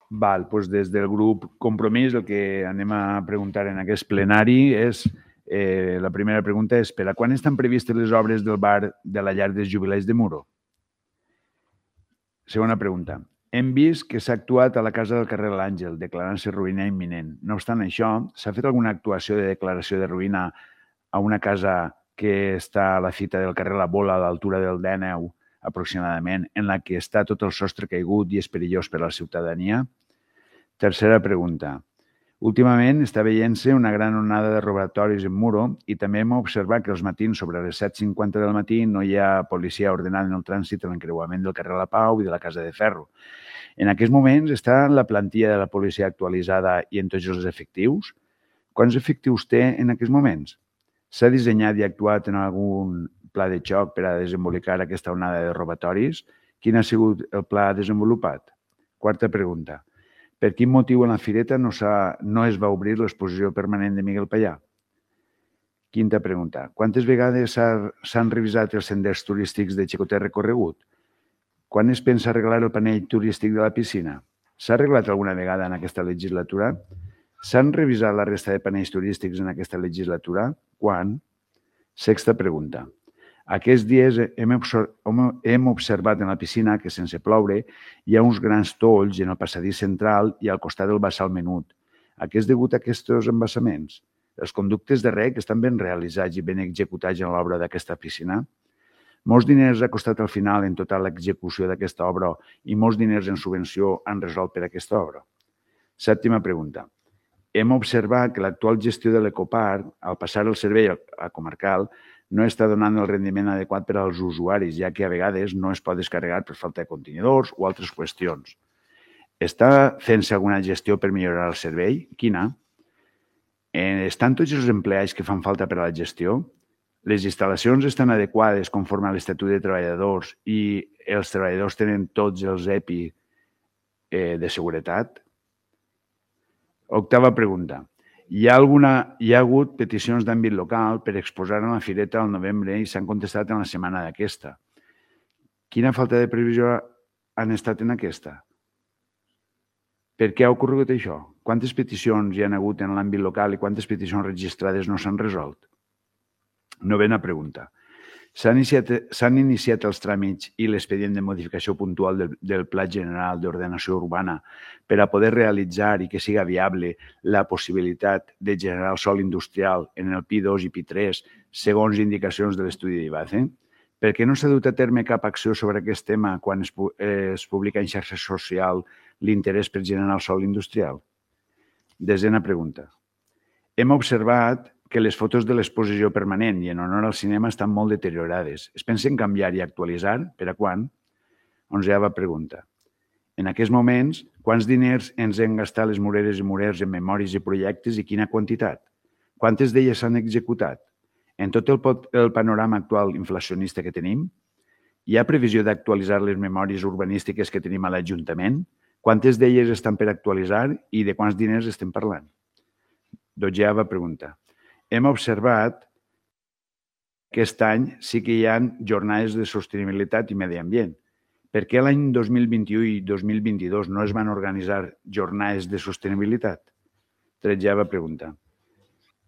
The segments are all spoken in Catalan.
Val, doncs des del grup Compromís el que anem a preguntar en aquest plenari és, la primera pregunta és, per a quan estan previstes les obres del bar de la llar dels jubilats de Muro? Segona pregunta. Hem vist que s'ha actuat a la casa del carrer l'Àngel, declarant-se ruïna imminent. No obstant això, s'ha fet alguna actuació de declaració de ruïna a una casa que està a la fita del carrer La Bola, a l'altura del D9, aproximadament, en la que està tot el sostre caigut i és perillós per a la ciutadania? Tercera pregunta. Últimament està veient-se una gran onada de robatoris en Muro i també hem observat que els matins sobre les 7:50 del matí no hi ha policia ordenant el trànsit en l'encreuament del carrer La Pau i de la Casa de Ferro. En aquests moments està la plantilla de la policia actualitzada i en tots els efectius? Quants efectius té en aquests moments? S'ha dissenyat i actuat en algun pla de xoc per a desembolicar aquesta onada de robatoris? Quin ha sigut el pla desenvolupat? Quarta pregunta. Per quin motiu en la fireta no es va obrir l'exposició permanent de Miguel Pallà? Quinta pregunta. Quantes vegades s'han revisat els senders turístics de Xicotet recorregut? Quan es pensa arreglar el panell turístic de la piscina? S'ha arreglat alguna vegada en aquesta legislatura? S'han revisat la resta de panells turístics en aquesta legislatura? Quan? Sexta pregunta. Aquests dies hem observat en la piscina que, sense ploure, hi ha uns grans tolls en el passadís central i al costat del bassal menut. A què és degut a aquests embassaments? Els conductes de reg estan ben realitzats i ben executats en l'obra d'aquesta piscina? Molts diners ha costat al final en tota l'execució d'aquesta obra i molts diners en subvenció han resolt per aquesta obra. Sèptima pregunta. Hem observat que l'actual gestió de l'Ecoparc, al passar el servei a comarcal, no està donant el rendiment adequat per als usuaris, ja que a vegades no es pot descarregar per falta de contenidors o altres qüestions. Està fent-se alguna gestió per millorar el servei? Quina? Estan tots els empleats que fan falta per a la gestió? Les instal·lacions estan adequades conforme a l'Estatut de Treballadors i els treballadors tenen tots els EPI de seguretat? Octava pregunta. Hi ha hagut peticions d'àmbit local per exposar en la fireta al novembre i s'han contestat en la setmana d'aquesta. Quina falta de previsió han estat en aquesta? Per què ha ocorregut això? Quantes peticions hi ha hagut en l'àmbit local i quantes peticions registrades no s'han resolt? Novena pregunta. S'han iniciat els tràmits i l'expedient de modificació puntual del Pla General d'Ordenació Urbana per a poder realitzar i que siga viable la possibilitat de generar el sòl industrial en el Pi2 i Pi3 segons indicacions de l'estudi d'IBACE? Per què no s'ha dut a terme cap acció sobre aquest tema quan es publica en xarxa social l'interès per generar el sòl industrial? Desena pregunta. Hem observat que les fotos de l'exposició permanent i en honor al cinema estan molt deteriorades. Es pensen canviar i actualitzar? Per a quan? Onzeava pregunta. En aquests moments, quants diners ens hem gastat les mureres i murers en memòries i projectes i quina quantitat? Quantes d'elles s'han executat? En tot el panorama actual inflacionista que tenim, hi ha previsió d'actualitzar les memòries urbanístiques que tenim a l'Ajuntament? Quantes d'elles estan per actualitzar i de quants diners estem parlant? Dotzeava pregunta. Hem observat que aquest any sí que hi ha jornades de sostenibilitat i medi ambient. Per què l'any 2021 i 2022 no es van organitzar jornades de sostenibilitat? Tretzeava pregunta.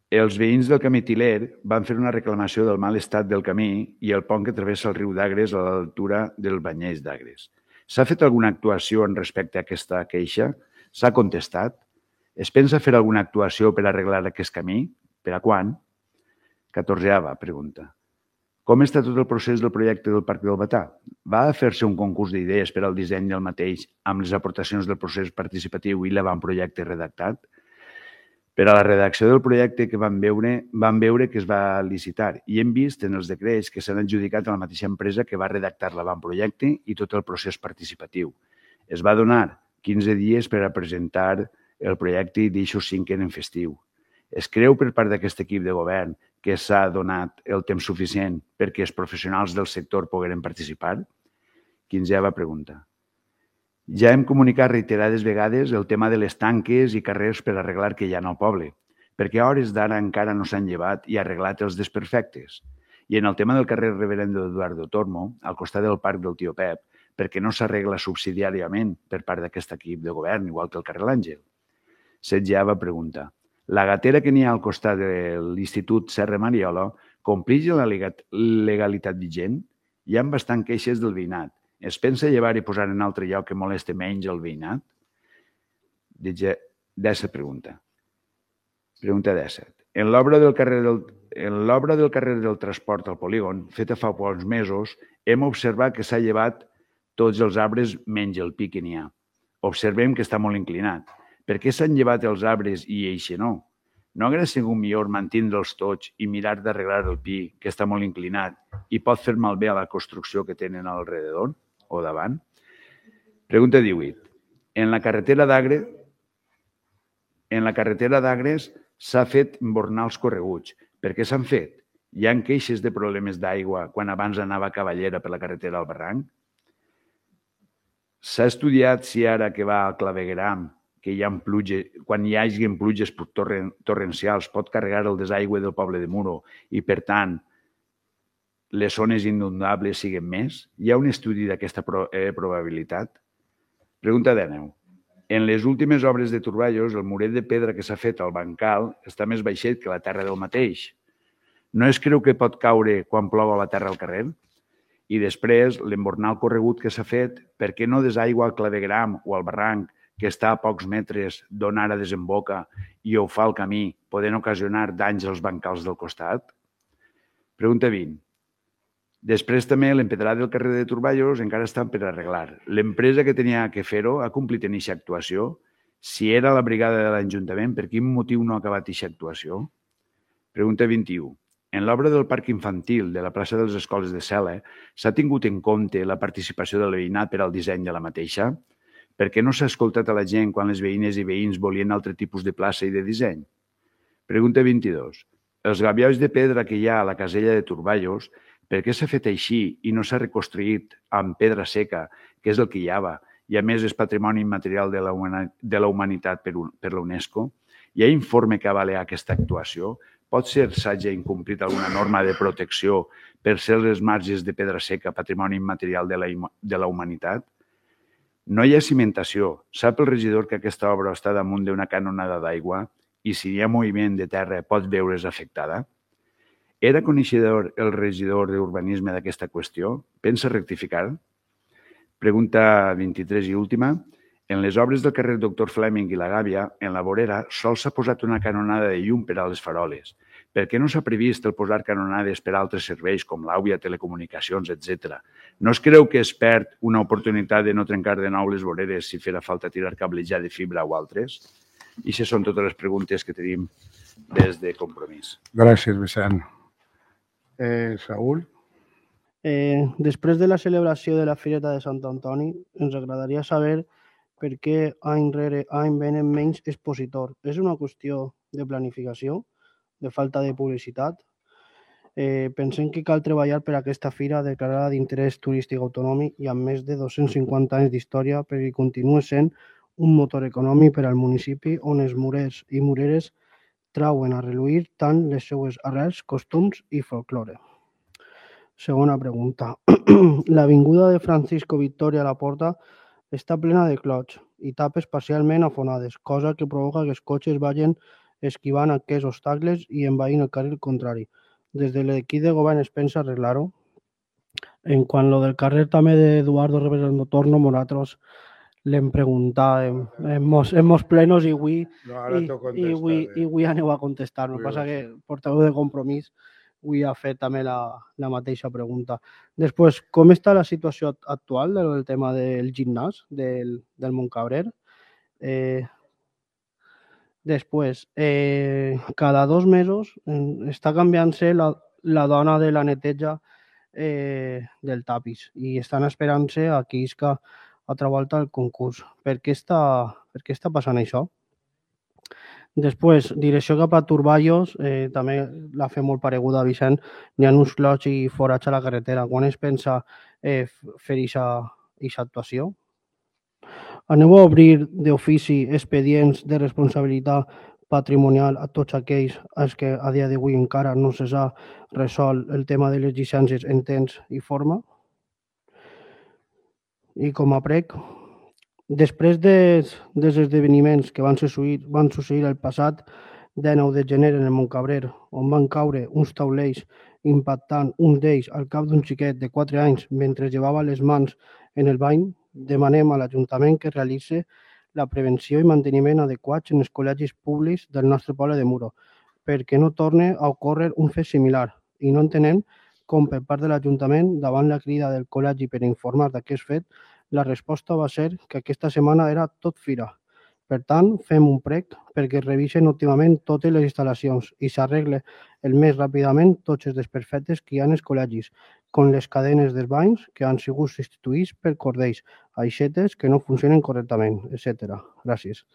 Els veïns del camí Tiler van fer una reclamació del mal estat del camí i el pont que travessa el riu d'Agres a l'altura del Banyers d'Agres. S'ha fet alguna actuació en respecte a aquesta queixa? S'ha contestat? Es pensa fer alguna actuació per arreglar aquest camí? Per a quan? 14ª pregunta. Com està tot el procés del projecte del Parc del Batà? Va fer-se un concurs d'idees per al disseny del mateix amb les aportacions del procés participatiu i l'avantprojecte redactat? Per a la redacció del projecte que vam veure que es va licitar i hem vist en els decrets que s'han adjudicat a la mateixa empresa que va redactar l'avantprojecte i tot el procés participatiu. Es va donar 15 dies per a presentar el projecte i d'això 5 eren festiu. Es creu per part d'aquest equip de govern que s'ha donat el temps suficient perquè els professionals del sector pogueren participar? 15ª pregunta. Ja hem comunicat reiterades vegades el tema de les tanques i carrers per arreglar que hi ha al poble, perquè a hores d'ara encara no s'han llevat i arreglat els desperfectes. I en el tema del carrer Reverendo Eduardo Tormo, al costat del parc del Tio Pep, perquè no s'arregla subsidiàriament per part d'aquest equip de govern, igual que el carrer L'Àngel. Setgeava pregunta. La gatera que n'hi ha al costat de l'Institut Serra Mariola complix la legalitat vigent? Hi ha bastant queixes del veïnat. Es pensa llevar i posar en altre lloc que moleste menys el veïnat? 17 pregunta. Pregunta 17. En l'obra del carrer del transport al polígon, feta fa pocs mesos, hem observat que s'ha llevat tots els arbres menys el pi que n'hi ha. Observem que està molt inclinat. Per què s'han llevat els arbres i eixe no? No hauria sigut millor mantindre'ls tots i mirar d'arreglar el pi, que està molt inclinat i pot fer malbé a la construcció que tenen al redador o davant? Pregunta 18. En la carretera d'Agres s'ha fet embornar els correguts. Per què s'han fet? Hi ha queixes de problemes d'aigua quan abans anava a Cavallera per la carretera al barranc? S'ha estudiat si ara que va al clavegueram, que hi ha quan hi hagi pluges torrencials, pot carregar el desaigüe del poble de Muro i, per tant, les zones inundables siguin més? Hi ha un estudi d'aquesta probabilitat? Pregunta 19. En les últimes obres de Turballos, el muret de pedra que s'ha fet al bancal està més baixet que la terra del mateix. No es creu que pot caure quan plou a la terra al carrer? I després, l'embornar el corregut que s'ha fet, per què no desaigua al clavegueram o al barranc, que està a pocs metres d'on ara desemboca i ho fa el camí, podent ocasionar danys als bancals del costat? Pregunta 20. Després també l'empedrat del carrer de Turballos encara està per arreglar. L'empresa que tenia que fer-ho ha complit en aquesta actuació? Si era la brigada de l'Ajuntament, per quin motiu no ha acabat aquesta actuació? Pregunta 21. En l'obra del parc infantil de la plaça de les Escoles de Cela s'ha tingut en compte la participació del veïnat per al disseny de la mateixa? Per què no s'ha escoltat a la gent quan les veïnes i veïns volien altre tipus de plaça i de disseny? Pregunta 22. Els gabions de pedra que hi ha a la casella de Turballos, per què s'ha fet així i no s'ha reconstruït amb pedra seca, que és el que hi havia, i a més és patrimoni immaterial de la humanitat per la UNESCO? Hi ha informe que avala aquesta actuació? Pot ser s'hagi incomplit alguna norma de protecció per ser les marges de pedra seca patrimoni immaterial de la humanitat? No hi ha cimentació. Sap el regidor que aquesta obra està damunt d'una canonada d'aigua i si hi ha moviment de terra pot veure's afectada? Era coneixedor el regidor d'Urbanisme d'aquesta qüestió? Pensa rectificar? Pregunta 23 i última. En les obres del carrer Doctor Fleming i la Gàbia, en la vorera, sols s'ha posat una canonada de llum per a les faroles. Per què no s'ha previst el posar canonades per a altres serveis com l'àuia, telecomunicacions, etc.? No es creu que es perd una oportunitat de no trencar de nou les voreres si farà falta tirar cablejat de fibra o altres? I aquestes són totes les preguntes que tenim des de Compromís. Gràcies, Vicent. Saúl? Després de la celebració de la Fireta de Sant Antoni, ens agradaria saber per què any rere any venen menys expositors. És una qüestió de planificació, de falta de publicitat? Pensem que cal treballar per aquesta fira declarada d'interès turístic autonòmic i amb més de 250 anys d'història perquè continuï sent un motor econòmic per al municipi on els murers i mureres trauen a reluir tant les seues arrels, costums i folklore. Segona pregunta. L'avinguda de Francisco Victoria a la Porta està plena de clots i tapes parcialment afonades, cosa que provoca que els cotxes vagin esquivant aquests obstacles i envaint el carril contrari. Des de l'equip de govern es pensa arreglar-ho. En quant a lo del carrer també d'Eduardo Reverendo Torno, nosaltres l'hem preguntat en mos plenos i avui aneu a contestar. El que passa que el portaveu de Compromís avui ha fet també la mateixa pregunta. Després, com està la situació actual del tema del gimnàs del Montcabrer? Després, cada 2 mesos està canviant-se la dona de la neteja del tapís i estan esperant-se a que isca altra volta el concurs. Per què està passant això? Després, direcció cap a Turballos, també la fe molt pareguda a Vicent, n'hi ha uns clots i forats a la carretera. Quan es pensa fer aquesta actuació? Aneu a obrir d'ofici expedients de responsabilitat patrimonial a tots aquells als que a dia d'avui encara no s'ha resolt el tema de les llicències en temps i forma? I com a prec, després dels esdeveniments que van succeir el passat 19 de gener en el Montcabrer, on van caure uns taulells impactant un d'ells al cap d'un xiquet de 4 anys mentre llevava les mans en el bany, demanem a l'Ajuntament que realitzi la prevenció i manteniment adequats en els col·legis públics del nostre poble de Muro, perquè no torni a ocórrer un fet similar, i no entenem com per part de l'Ajuntament, davant la crida del col·legi per informar d'aquest fet, la resposta va ser que aquesta setmana era tot fira. Per tant, fem un prec perquè es revisen òptimament totes les instal·lacions i s'arregle el més ràpidament tots els desperfectes que hi ha en els col·legis, com les cadenes dels banys que han sigut substituïts per cordells, aixetes que no funcionen correctament, etc. Gràcies.